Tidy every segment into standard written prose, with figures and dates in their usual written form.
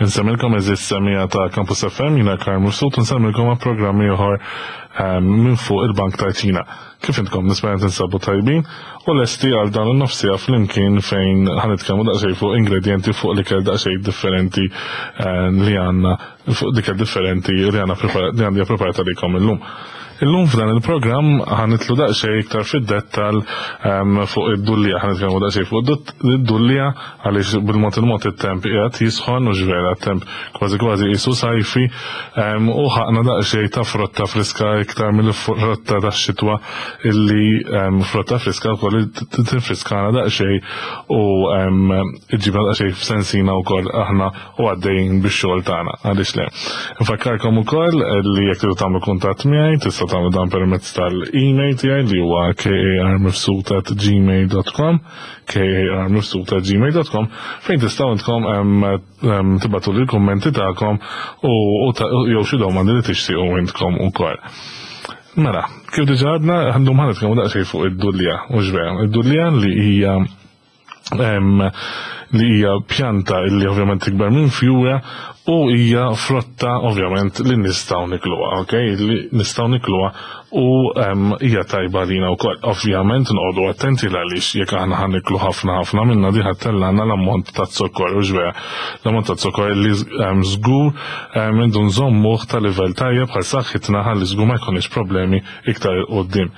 Insemmilkom eżis semija ta' Campus FM jina Karl Mifsud nsemmilkom għal programm ieħor ehm, minn fuq il-Bank ta' Ċina. Kif intkom nispera tinsabu tajbin u lesti għal dan in-nofsija flimkien fejn ħanitkellmu daqsxejn fuq ingredienti fuq l-ikel daqsxejn differenti ehm, li għandna fuq l-ikel differenti li għandna li għandi preparata likom illum. Illum f'dan il-programm ħanitlu daqsxejn iktar fid-dettal ehm, fuq id-dullija, ħanitkellmu daqsxejn fuq id-dullija għaliex bil-mod il-mod it-temp qiegħed jisħon u ġvera temp kważi kważi qisu sajfi ehm, u ħaqna daqsxejn ta' frotta friska iktar mill-frotta tax-xitwa illi ehm, frotta friska wkoll tinfriskana daqsxejn u iġibna daqsxejn f'sensina wkoll aħna u għaddejjin bix-xogħol tagħna, għaliex le. Nfakkarkom ukoll li jekk tridu tagħmlu kuntatt miegħi tistgħu tagħmlu dan permezz tal-email tiegħi li huwa karmifsud@gmail.com karmifsud@gmail.com fejn tistgħu intkom tibgħatu li l-kummenti tagħkom u jew xi domandi li tixtiequ intkom ukoll. Mela, kif diġà għadna, għandhom ħanet daqsxejn fuq id-dullija, u vera, id-dullija li hija li hija pjanta li ovvjament tikber minn fjura u hija frotta ovvjament li nistgħu nikluha, ok? Li nistgħu nikluha u hija tajba lina wkoll. Ovvjament noqogħdu attenti għaliex jekk aħna ħa niklu ħafna ħafna minna di ħattellana l-ammont ta' zokkor u ġvera. L-ammont ta' zokkor li żgur indu nżommuh ta' livell tajjeb bħal saħħitna ħalli żgur ma jkollniex problemi iktar 'il quddiem.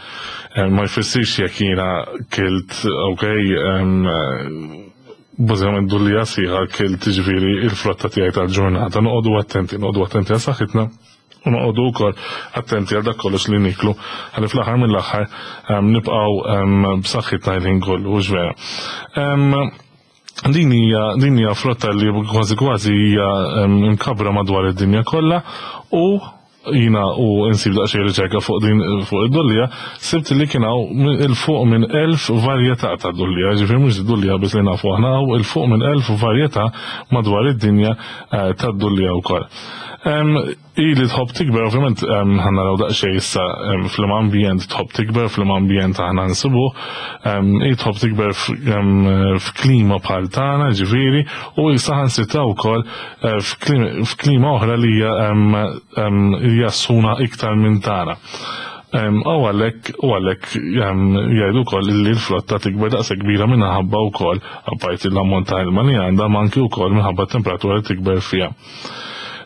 Eh, ma jfissirx jekk jiena kilt, ok, bażikament dullija sħiħa kilt ġifieri il-frotta tiegħi tal-ġurnata. Noqogħdu attenti, noqogħdu attenti għal saħħitna u noqogħdu wkoll attenti għal dak kollox li niklu għalli fl-aħħar mill-aħħar nibqgħu b'saħħitna l-ħin kollu, hux vera. Din hija din hija frotta li kważi kważi hija mkabbra madwar id-dinja kollha u jina u insib daqsxejn riċerka fuq din fuq id-dullija, sibt li kien hawn 'il fuq minn 1000 varjetà ta' dullija, ġifieri mhux id-dullija biss li nafu aħna hawn 'il fuq minn 1000 varjetà madwar id-dinja eh, tad-dullija wkoll. Ili tħobb tikber, ovvjament ħa naraw daqsxejn issa fl ambjent tħobb tikber, fl ambjent aħna nsibuh, hi tħobb tikber f'klima bħal tagħna, ġifieri, u saħansitra wkoll eh, f'klima oħra li hija sħuna iktar minn tagħna. U għalhekk u għalhekk jgħidu wkoll li l-flotta tikber daqshekk kbira minħabba wkoll apparti l-ammont ta' ilma li għandha ma anki wkoll minħabba t-temperatura li tikber fiha.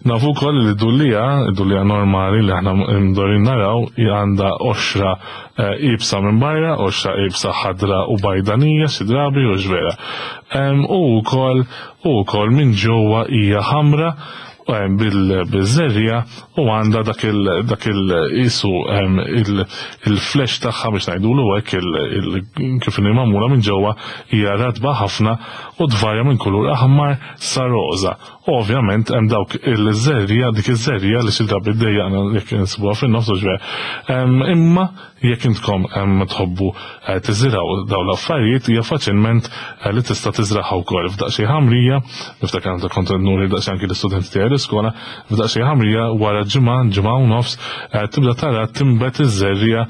Nafu wkoll li d-dullija, id-dullija normali li aħna mdorin naraw, għandha qoxra eh, ibsa minn barra, qoxra ibsa ħadra u bajdanija xi drabi u ġvera. U wkoll u wkoll minn ġewwa hija ħamra bil-żerriegħa u għandha dak il dak il qisu il-flesh tagħha biex ngħidulu hekk kif inhi magħmula minn ġewwa hija ratba ħafna u tvarja minn kulur aħmar sa roża. U ovvjament hemm dawk il-żerriegħa dik iż-żerriegħa li xi drabi ddejjaqna jekk insibuha fin-nofs u x'vera. Imma jekk intkom tħobbu eh, tiżirgħu dawn l-affarijiet hija faċilment eh, li tista' tiżraħha wkoll f'daqsxejn ħamrija, niftakar meta kont nuri daqsxejn anki l-istudenti tiegħi l-iskola, f'daqsxejn ħamrija wara ġimgħa, ġimgħa u nofs eh, tibda tara timbet iż-żerriegħa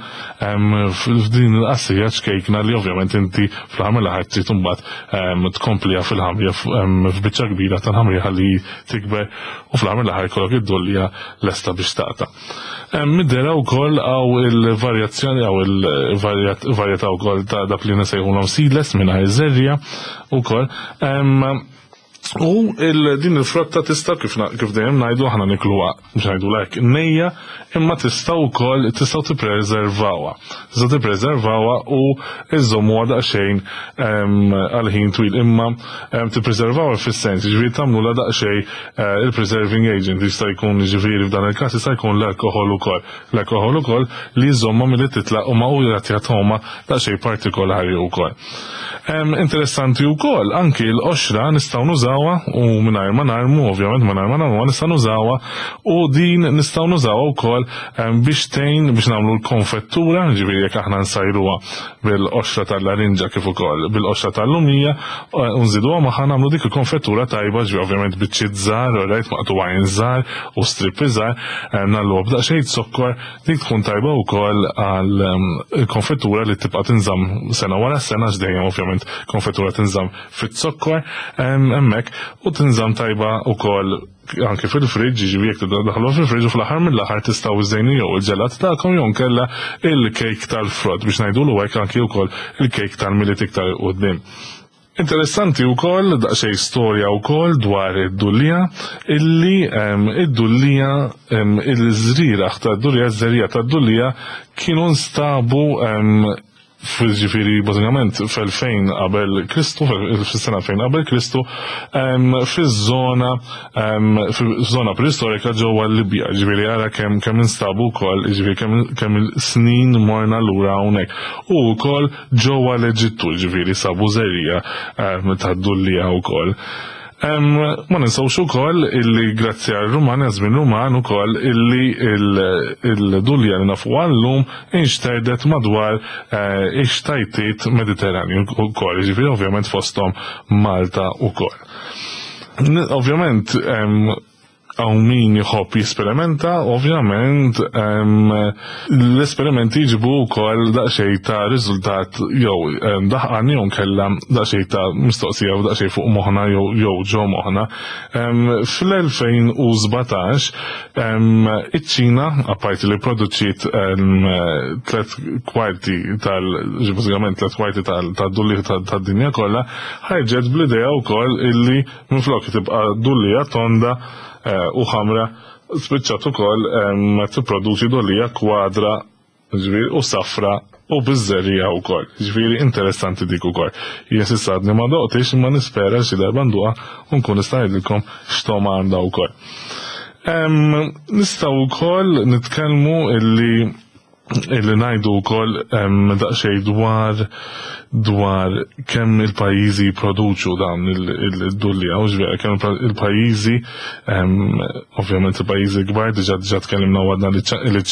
f'din il-qasrija ċkejkna li ovvjament inti fl-aħħar mill-aħħar trid imbagħad tkompliha fil-ħamrija f'biċċa kbira tal-ħamrija ħalli tikber u fl-aħħar mill-aħħar jkollok id-dullija lesta biex taqta'. Mid-dehra wkoll hawn il-varjazzjoni hawn il-varjetà wkoll ta' dak li nsejħulhom seedless mingħajr żerriegħa wkoll. U din il-frotta tista' kif kif dejjem ngħidu aħna nikluha biex ngħidu hekk nejja, imma tista' wkoll tistgħu tippreservawha. Tistgħu tippreservawha u iżommuha daqsxejn għal ħin twil imma tippreservawha fis-sens, jiġifieri tagħmlulha daqsxejn eh, il-preserving agent jista' jkun jiġifieri f'dan il-każ jista' jkun l-alkoħol ukoll. L-alkoħol ukoll li jżommha milli titlaq u ma u jagħtiha togħma daqsxejn partikolari wkoll. Interessanti wkoll anki l-qoxra nistgħu nużawha u mingħajr ma narmu, ovvjament mingħajr ma narmuha nistgħu nużawha u din nistgħu nużawha wkoll biex tgħin biex nagħmlu l-konfettura, ġifieri jekk aħna nsajruha bil-qoxra tal-larinġa kif ukoll bil-qoxra tal-lumija eh, u nżiduha magħha nagħmlu dik il-konfettura tajba ġifieri ovvjament biċċiet żgħar, rajt maqtugħin żgħar u strippi żgħar, nagħluha b'daqsxejn zokkor Dik tkun tajba wkoll għal ehm, konfettura li tibqa' tinżamm sena wara sena għax dejjem ovvjament konfettura tinżamm fit-zokkor ehm, hemmhekk. hekk, u tinżamm tajba wkoll anke fil-friġġ, jiġifieri jekk tibda daħlu fil-friġġ u fl-aħħar mill-aħħar tistgħu iżżejnu jew il-ġelat tagħkom jew nkella il-kejk tal-frott biex ngħidulu hekk anke wkoll il-kejk tal-Milied iktar 'il quddiem. Interessanti wkoll daqsxejn storja wkoll dwar id-dullija illi id-dullija il-żrieraħ tad-dullija, ż-żerriegħa tad-dullija kienu nstabu ġifieri bażikament f'2000 qabel Kristu, fis-sena 2000 qabel Kristu, fiż-żona fiż-żona preistorika ġewwa l-Libja, ġifieri ara kemm kemm instabu wkoll, ġifieri kemm kemm snin morna lura hawnhekk. U wkoll ġewwa l-Eġittu, ġifieri sabu żerriegħa tad-dullieħa wkoll. Ma ninsewx ukoll illi grazzi għal Ruman, żmien Ruman ukoll illi il-dulja li nafu llum inxterdet madwar eh, ix-xtajtiet Mediterranju wkoll, ġifieri ovvjament fosthom Malta wkoll. Ovvjament Hawn min jħobb jesperimenta, ovvjament l-esperimenti jġibu wkoll daqsxejn ta' riżultat jew daħqan jew nkella daqsxejn ta' mistoqsija u daqsxejn fuq moħħna jew ġo moħħna. Fl-2017 iċ-Ċina, apparti li pproduċiet tliet kwarti tal bażikament tliet kwarti tad-dulliegħ tad-dinja kollha, ħarġet bl-idea wkoll illi Minflok tibqa' dullija tonda u ħamra, spiċċat ukoll tipproduċi dullija kwadra ġifieri u safra u biż-żerriegħa wkoll. Ġifieri interessanti dik ukoll. Jien s'issa għadni ma doqtix imma nispera xi darba nduqha u nkun nista' ngħidilkom x'togħma għandha wkoll. Nistgħu wkoll nitkellmu illi illi ngħidu wkoll daqsxejn dwar dwar kemm il-pajjiżi jipproduċu dawn il-dullija, u ġvera kemm il-pajjiżi ovvjament il-pajjiżi kbar diġà diġà tkellimna u għadna li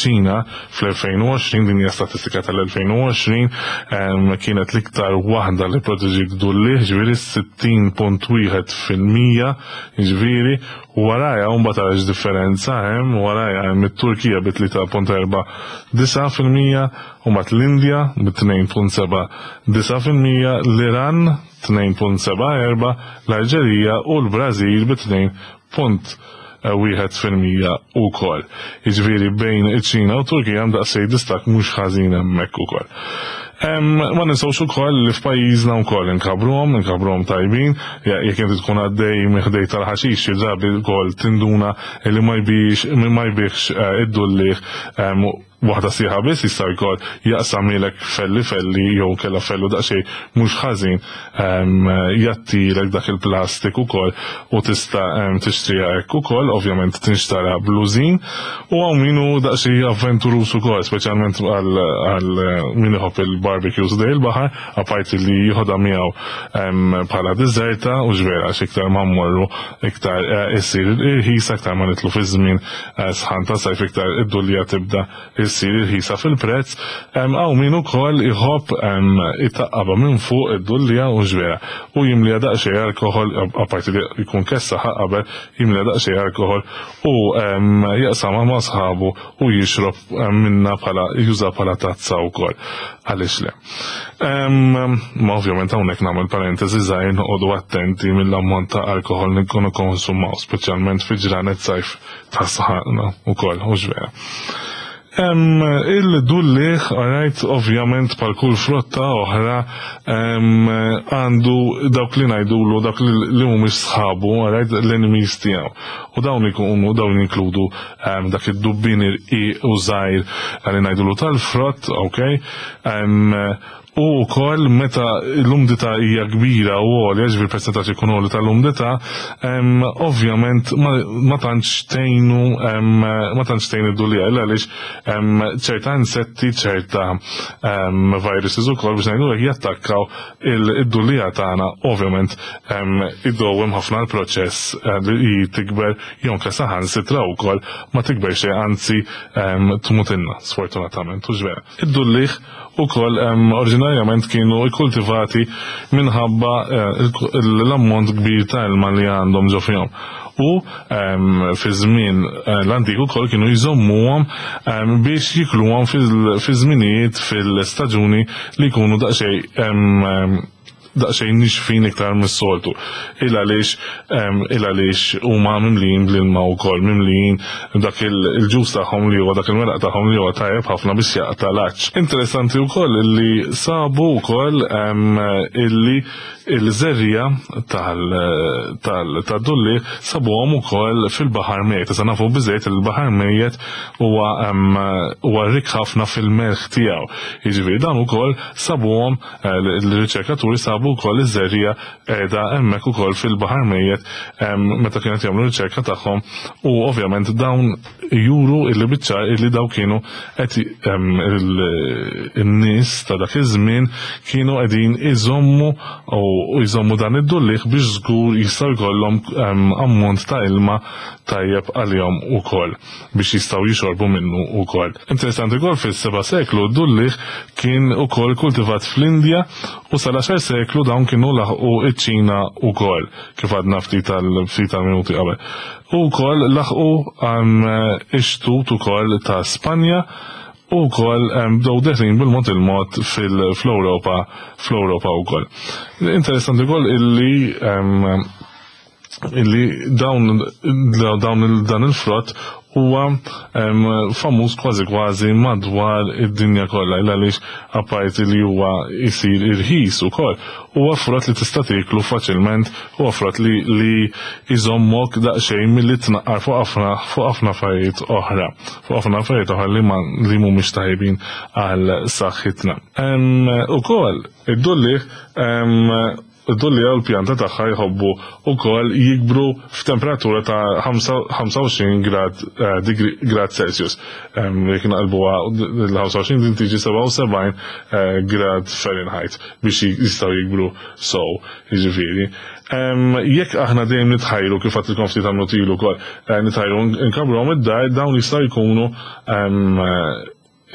ċina fl-2020 din hija statistika tal-2020 kienet l-iktar waħda li produċiet dullieħ ġifieri 60.1% ġifieri Warajha u mbagħad ara x'differenza hemm, warajha hemm it-Turkija bi 3.49%, u mbagħad l-Indja bi 2.79%, l-Iran 2.74, l-Alġerija u l-Brażil bi 2.1% ukoll. Jiġifieri bejn iċ-Ċina u t-Turkija hemm daqsxejn distakk mhux ħażin hemmhekk ukoll. Ma ninsewx ukoll li f'pajjiżna wkoll inkabruhom, inkabruhom tajbin, jekk inti tkun għaddej minn ħdej tal-ħaxix xi drabi wkoll tinduna li ma jbix ma jbigħx eh, id-dulliegħ waħda sieħa biss jista' jkoll jaqsamilek felli felli jew kella fellu daqsxejn mhux ħażin jattilek dak il-plastik ukoll u tista' tixtriha hekk ukoll, ovvjament tinxtara blużin u hawn min hu daqsxejn avventuruż ukoll, speċjalment għal min iħobb il-barbecues ħdej il-baħar, apparti li jieħodha miegħu bħala diżerta u x'vera għax iktar ma mmorru iktar eh, issir irħisa, iktar ma nitlu fi żmien eh, sħan ta' sajf iktar id-dulja tibda issir irħisa fil-prezz, hawn min ukoll iħobb itaqqabha minn fuq id-dullija u x'vera u jimliha daqsxejn alkoħol, apparti li jkun kessaħha qabel, jimliha daqsxejn alkoħol u jaqsamha ma' sħabu u jixrob minnha bħala jużha bħala tazza wkoll. Għaliex le? Ma ovvjament hawnhekk nagħmel parentesi żgħir noqogħdu attenti mill-ammont ta' alkoħol li nkunu konsumaw, speċjalment fi ġranet sajf ta' sħana wkoll, hux vera. Il-dulliħ, alright, ovvjament bħal kull frotta oħra, għandu dawk li ngħidulu dawk li mhumiex sħabu, alright, l-enemies tiegħu. U dawn ikunu dawn jinkludu dak id-dubbien irqiq u żgħir li ngħidulu tal-frott, ok? U wkoll meta l-umdità hija kbira u għolja, ġifieri persentaġġ ikun għoli tal-umdità, ovvjament ma tantx tgħinu ma tantx tgħin id-dulija għaliex ċerta insetti, ċerta viruses ukoll biex ngħidu hekk jattakkaw id-dulija tagħna, ovvjament idowwem ħafna l-proċess eh, li tikber jew anke saħansitra wkoll ma tikber xejn anzi tmutilna sfortunatament u vera. Id-dulliħ ukoll oriġinarjament kienu kkultivati minħabba eh, l-ammont kbir ta' ilma li għandhom ġo fihom. U fi żmien eh, l-antik ukoll kienu jżommuhom biex jikluhom fi żminijiet fil-staġuni li jkunu daqsxejn. daqsxejn nixfin iktar mis-soltu. Il għaliex il għaliex huma mimlijin bl-ilma wkoll, mimlijin dak il-ġus tagħhom li huwa dak il-meraq tagħhom li huwa tajjeb ħafna biex jaqta' l-għatx. Interessanti wkoll illi sabu wkoll illi il-żerriegħa tad-dulliegħ sabuhom ukoll fil-Baħar Mejjet. Issa nafu biżżejjed li l-Baħar Mejjet huwa huwa rikk ħafna fil-melħ tiegħu. Jiġifieri dawn ukoll sabuhom l-riċerkaturi sabu wkoll iż-żerriegħa qiegħda hemmhekk ukoll fil-Baħar Mejjet meta kienu qed jagħmlu riċerka tagħhom u ovvjament dawn juru illi biċ-ċar illi dawn kienu qed in-nies ta' dak iż-żmien kienu qegħdin iżommu u jżommu dan id-dulliegħ biex żgur jistgħu jkollhom ammont ta' ilma tajjeb għalihom ukoll biex jistgħu jixorbu minnu wkoll. Interessanti wkoll fis-seba' seklu d-dulliegħ kien ukoll kultivat fl-Indja u sal-għaxar seklu dawn kienu laħqu ċ-Ċina wkoll kif għadna ftit tal-ftit tal-minuti qabel. U wkoll laħqu ix-xtut ukoll ta' Spanja u wkoll bdew deħlin bil-mod il-mod fl-Ewropa fl-Ewropa wkoll. Interessanti wkoll illi illi dawn dawn dan il-frott huwa famuż kważi kważi madwar id-dinja kollha il għaliex apparti li huwa jsir irħis ukoll huwa frott li tista' tieklu faċilment, huwa frott li li jżommok daqsxejn milli tnaqqar fuq ħafna fuq ħafna affarijiet oħra, fuq ħafna affarijiet oħra li ma li mhumiex tajbin għal saħħitna. Ukoll id-dulliegħ id-dulliegħa u l-pjanta tagħha jħobbu wkoll jikbru f'temperatura ta' 25 grad degree grad Celsius. Jekk naqilbuha l-25 din tiġi 77 grad Fahrenheit biex jistgħu jikbru sew, jiġifieri. Jekk aħna dejjem nitħajru kif għedtilkom ftit minuti ilu wkoll, nitħajru nkabbruhom id-dar, dawn jistgħu jkunu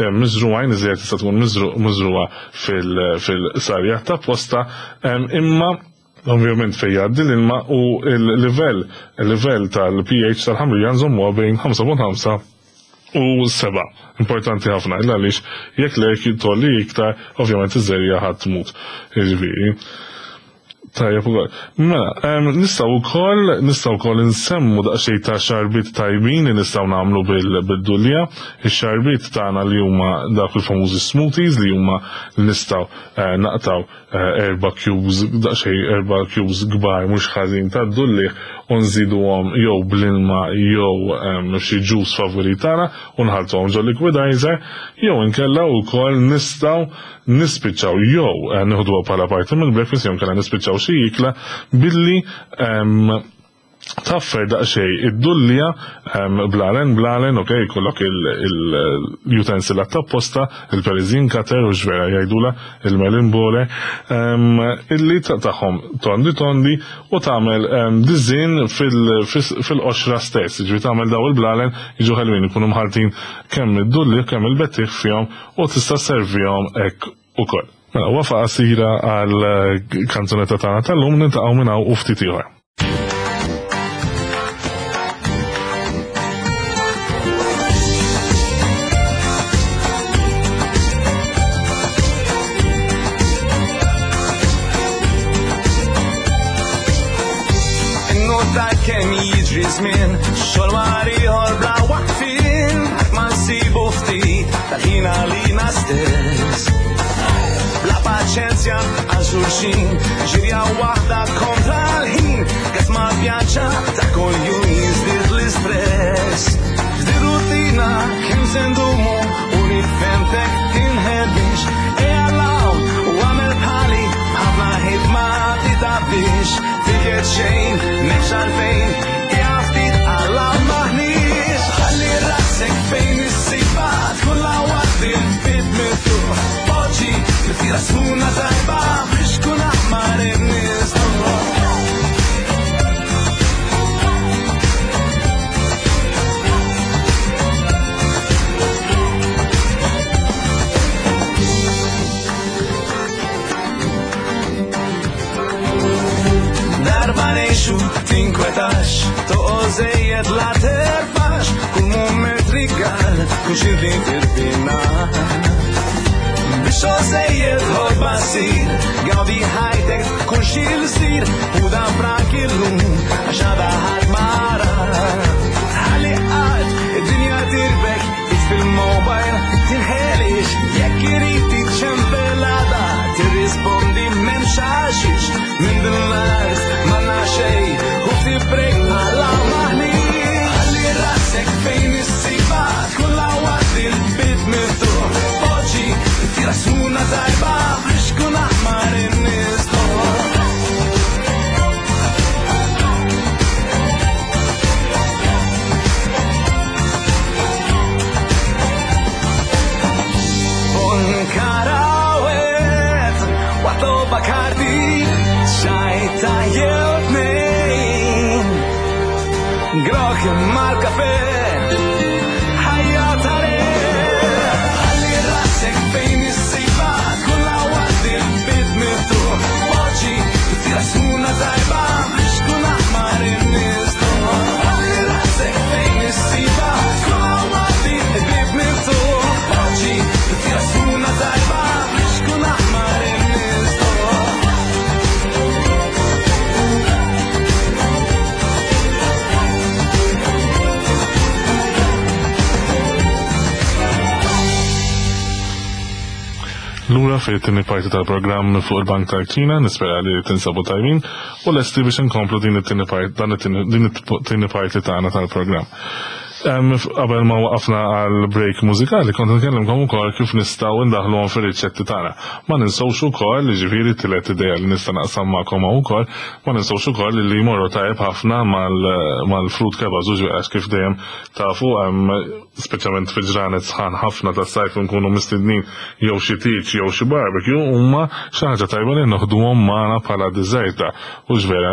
miżrugħin, iżjed tista' tkun miżrugħa fil-sarja ta' posta, imma ovvjament fejn jgħaddi l-ilma u l-livell il-livell tal-pH tal-ħamrija nżommuha bejn 5.5 u 7. Importanti ħafna, illa għaliex jekk le jekk tgħolli iktar, ovvjament iż-żerriegħa ħadd tmut. Jiġifieri. Tajjeb ukoll. Mela, nistgħu wkoll nistgħu wkoll insemmu daqsxejn ta' xarbiet tajbin li nistgħu nagħmlu bil-dulja. Ix-xarbiet tagħna li huma dawk il-famużi smoothies li huma li nistgħu naqtgħu erba' cubes daqsxejn erba' cubes kbar mhux ħażin tad-dulliegħ u nżiduhom jew bl-ilma jew xi juice favorit tagħna u nħalltuhom ġo liquidizer jew inkella wkoll nistgħu nispiċċaw jew nieħduha bħala parti mill-breakfast jew inkella nispiċċaw xi ikla billi taffer daqsxejn id-dullija blalen blalen, ok, jkollok il-utensil apposta, il-Parisian cutter u x'vera jgħidula, il-melon borer, illi tagħhom tondi tondi u tagħmel diżin fil-qoxra stess, jiġifieri tagħmel daw il-blalen jiġu ħelwin ikunu mħalltin kemm id-dulli kemm il-bettieħ fihom u tista' servihom hekk ukoll. Mela, wafa qasira għal kanzunetta tagħna tal-lum niltaqgħu minn hawn u ftit ieħor. Kemm jiġri żmien, xogħol wara ieħor bla waqfien, ma nsibu ftit tal-ħin għalina stess. Bla paċenzja għal xulxin, ġirja waħda kontra l-ħin, gas ma pjaċa ta' kuljum jiżdied l-istress. F'di rutina kemm se ndumu u nifhemtek tinħebix, ejja 'l hawn u għamel bħali, ħafna ħidma titgħabbix, tiket xejn, m'hemmx għalfejn, ejja ftit għalla maħniex. Ħalli rasek fejn issibha, tkun la waqt il-bib miftuħ. Poġġi tifsira sħuna tajba biex kun aħmar in-nies. Darba ngħixu tinkwetax, toqgħod żejjed la terfax, kull mument rigal, kull xi tirfina. Biex sejjed ħobba ssir, gawdi ħajtek tkun xi l-sir, u dan frank illum għax għada ħadd mara. Ħalli qatt id-dinja tirbek, fil-mobile tinħelix, jekk irid tiċċempelada, tirrispondi m'hemmx għaxix, minn din l-art m'għandna xejn u ftit break bħala maħniġ. Ħalli rasek fejn issiba, tkun lawat il-bib miftuħ, poġġi tira suna tajba biex kun aħmar in-nies. Karawet, waqt Bacardi, xajta jew tnejn. Grok mal-kafe, ħajja tare. Ħalli rasek fejn issiba, tkun lawat il-bib miftuħ. Poġġi tira suna tajba biex tkun aħmar in-nies. Ħalli rasek fejn issiba, tkun lawat il-bib miftuħ. Poġġi tira suna tajba biex tkun aħmar in-nies. Lura fit-tieni parti tal-programm fuq il-Bank tal-Kċina, nispera li tinsabu tajbin u lesti biex inkomplu din it-tieni parti, dan it-tieni, din it-tieni parti tagħna tal-programm. Qabel ma waqafna għal break mużikali, kont nkellimkom ukoll kif nistgħu ndaħluhom fir-riċetti tagħna. Ma ninsewx ukoll, jiġifieri t-tielet idea li nista' naqsam magħkom hawn ukoll, ma ninsewx ukoll li jmorru tajjeb ħafna mal-fruit kebabs, u ġifieri għax kif dejjem tafu, speċjalment fi ġranet sħan ħafna tas-sajf nkunu mistednin jew xi tieġ jew xi barbecue, huma xi ħaġa tajba li noħduhom magħna bħala diżerta. U ġvera,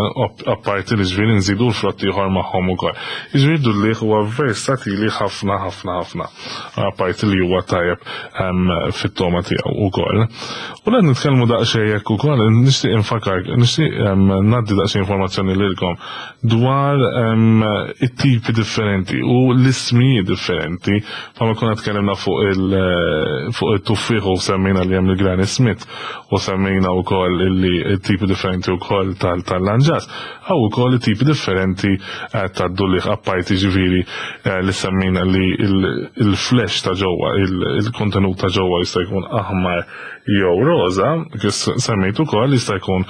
apparti li ġifieri nżidu l-frott ieħor magħhom ukoll. Jiġifieri dulliħ huwa versatili ħafna ħafna ħafna. Apparti li huwa tajjeb fit-toma tiegħu ukoll. U qed nitkellmu daqsxejn hekk ukoll, nixtieq infakar, nixtieq ngħaddi daqsxejn informazzjoni lilkom dwar it-tipi differenti u l-ismijiet differenti. Bħalma konna tkellimna fuq it-tuffieħ u semmejna li hemm il-Granny Smith u semmejna wkoll illi t-tipi differenti wkoll tal-lanġas, hawn ukoll it-tipi differenti tad-dulliħ, apparti ġifieri li semmejna li il-flesh ta' ġewwa, il-kontenut ta' ġewwa jista' jkun aħmar jew roża, kif semmejt ukoll jista' jkun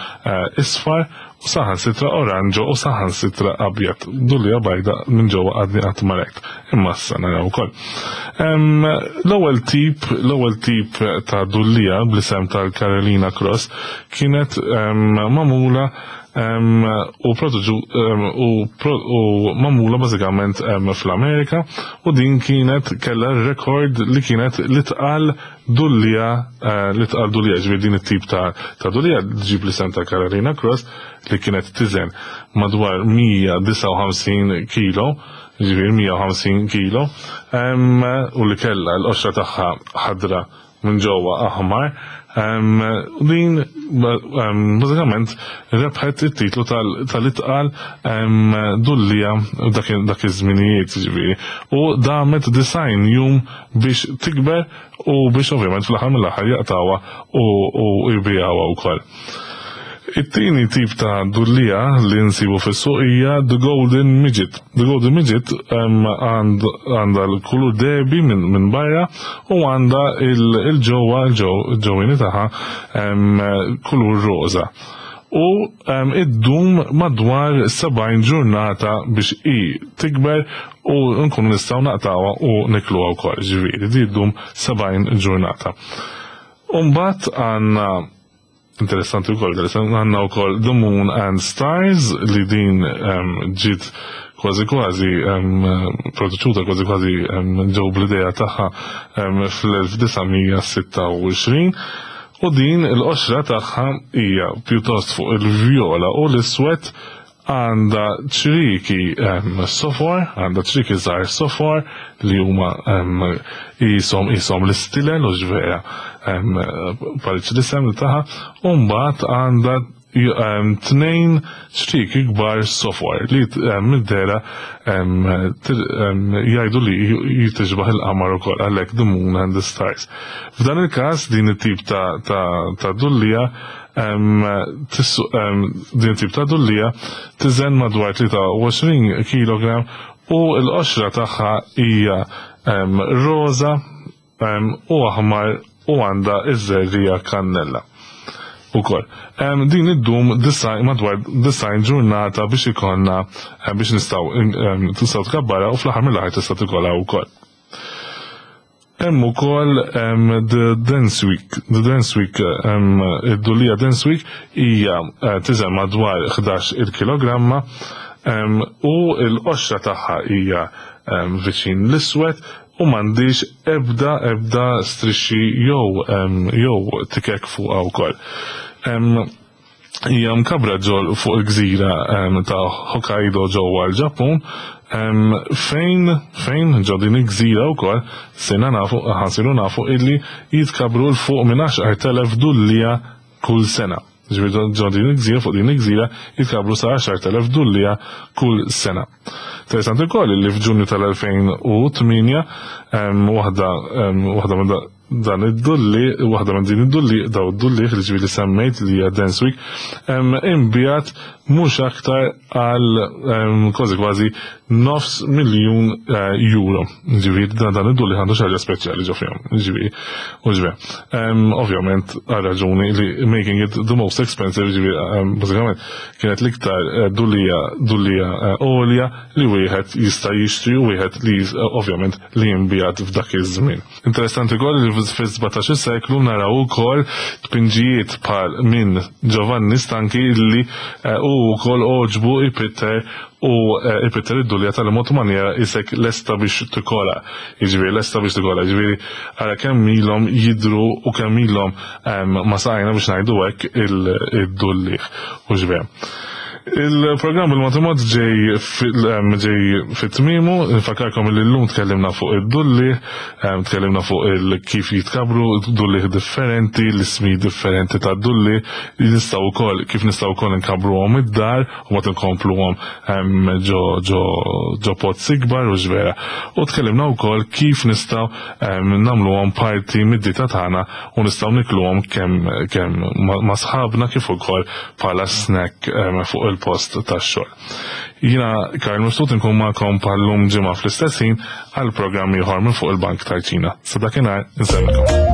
isfar u saħansitra oranġo u saħansitra abjad. Dullija bajda minn ġewwa għadni qatt ma rajt, imma issa naraw ukoll. L-ewwel tip ta' dullija bl-isem tal-Carolina Cross kienet magħmula u u magħmula bażikament fl-Amerika, u din kienet kellha rekord li kienet li tqal dullija, li tqal dullija, ġifieri din it-tip ta' dullija ġib l-isem ta' Carolina Cross li kienet tiżen madwar 159 kilo, ġifieri 150 kilo, u li kellha l-qoxra tagħha ħadra minn ġewwa aħmar. U din bażikament rebħet it-titlu tal-itqal dullija dak iż-żminijiet, ġifieri, u damet 90 jum biex tikber u biex ovvjament fl-aħħar mill-aħħar jaqtawha u jbijawha wkoll. It-tieni tip ta' dullija li nsibu fis-suq hija The Golden Midget. The Golden Midget għandha l-kulur dehbi minn barra u għandha il-ġewwa, il-ġewwieni tagħha kulur roża. U iddum madwar 70 ġurnata biex i tikber u nkunu nistgħu naqtawha u nikluha wkoll, ġifieri di ddum 70 ġurnata. U mbagħad għandna interessanti wkoll, interessanti, għandna wkoll The Moon and Stars li din ġiet kważi kważi produċuta kważi kważi ġew bl-idea tagħha fl-1926, u din il-qoxra tagħha hija pjuttost fuq il-vjola u l-iswed, għandha ċriki sofor, għandha ċriki żgħar sofor li huma jisom l-istilel u ġvera pariċ l-isem li taħa, u mbagħad għandha tnejn ċrieki kbar sofor li mid-dehra jgħidu li jitixbaħ il-qamar ukoll għalhekk the moon and the stars. F'dan il-każ din it-tip ta' ta' dullija din it-tip ta' dullija tiżen madwar 23 kilogram u l-qoxra tagħha hija roża u aħmar u għandha iż-żerriegħa kannella ukoll. Din iddum madwar 90 ġurnata biex ikollna biex nistgħu tistgħu tkabbarha u fl-aħħar mill-aħħar tista' tikolha wkoll. Hemm ukoll The Dance Week. The Dance Week, id-dullija Dance Week hija tiżen madwar 11 il-kilogramma u l-qoxra tagħha hija viċin l-iswed u m'għandix ebda ebda strixxi jew jew tikek fuqha wkoll. Hija mkabbra ġol fuq il-gżira ta' Hokkaido ġewwa l-Ġappun fejn fejn ġo din il-gżira wkoll sirna nafu ħansiru nafu illi jitkabbru 'l fuq minn 10,000 dullija kull sena. Ġifieri ġo din il-gżira fuq din il-gżira jitkabbru sa 10,000 dullija kull sena. Interessanti wkoll li f'Ġunju tal-2008 waħda waħda minn dan id-dulli, waħda minn din id-dulli, daw id-dulli li ġifieri semmejt li hija Dance Week, imbijat mhux aktar għal kważi kważi nofs miljun euro. Ġifieri dan id-dulli għandu xi ħaġa speċjali ġo fihom. Ġifieri, u ġifieri. Ovvjament għal raġuni li making it the most expensive, ġifieri bażikament kienet l-iktar dullija dullija għolja li wieħed jista' jixtri u wieħed li ovvjament li jinbijat f'dak iż-żmien. Interessanti wkoll li fis-17 seklu naraw ukoll tpinġijiet bħal minn Giovanni Stanchi li hu wkoll għoġbu ipitter u ipitter id-dullija tal-mod manjera isek lesta biex tikola. Jiġifieri lesta biex tikola, jiġifieri ara kemm ilhom jidhru u kemm ilhom ma saqajna biex ngħidu hekk id-dullieħ. Hux vera. Il-programm bil-mod il-mod ġej ġej fit-tmiemu, nfakkarkom li llum tkellimna fuq id-dulli, tkellimna fuq il kif jitkabru dulli differenti, l-ismi differenti ta' dulli, nistgħu wkoll kif nistgħu wkoll nkabruhom id-dar u ma tinkompluhom ġo ġo ġo pots ikbar u vera. U tkellimna wkoll kif nistgħu nagħmluhom parti mid-dieta tagħna u nistgħu nikluhom kemm kemm ma' sħabna kif ukoll bħala snack fuq il-post tax-xogħol. Jiena Karl Mifsud inkun magħkom bħal-lum ġimgħa fl-istess ħin għal programm ieħor minn fuq il-Bank tal-Ċina. Sa dakinhar insellmilkom.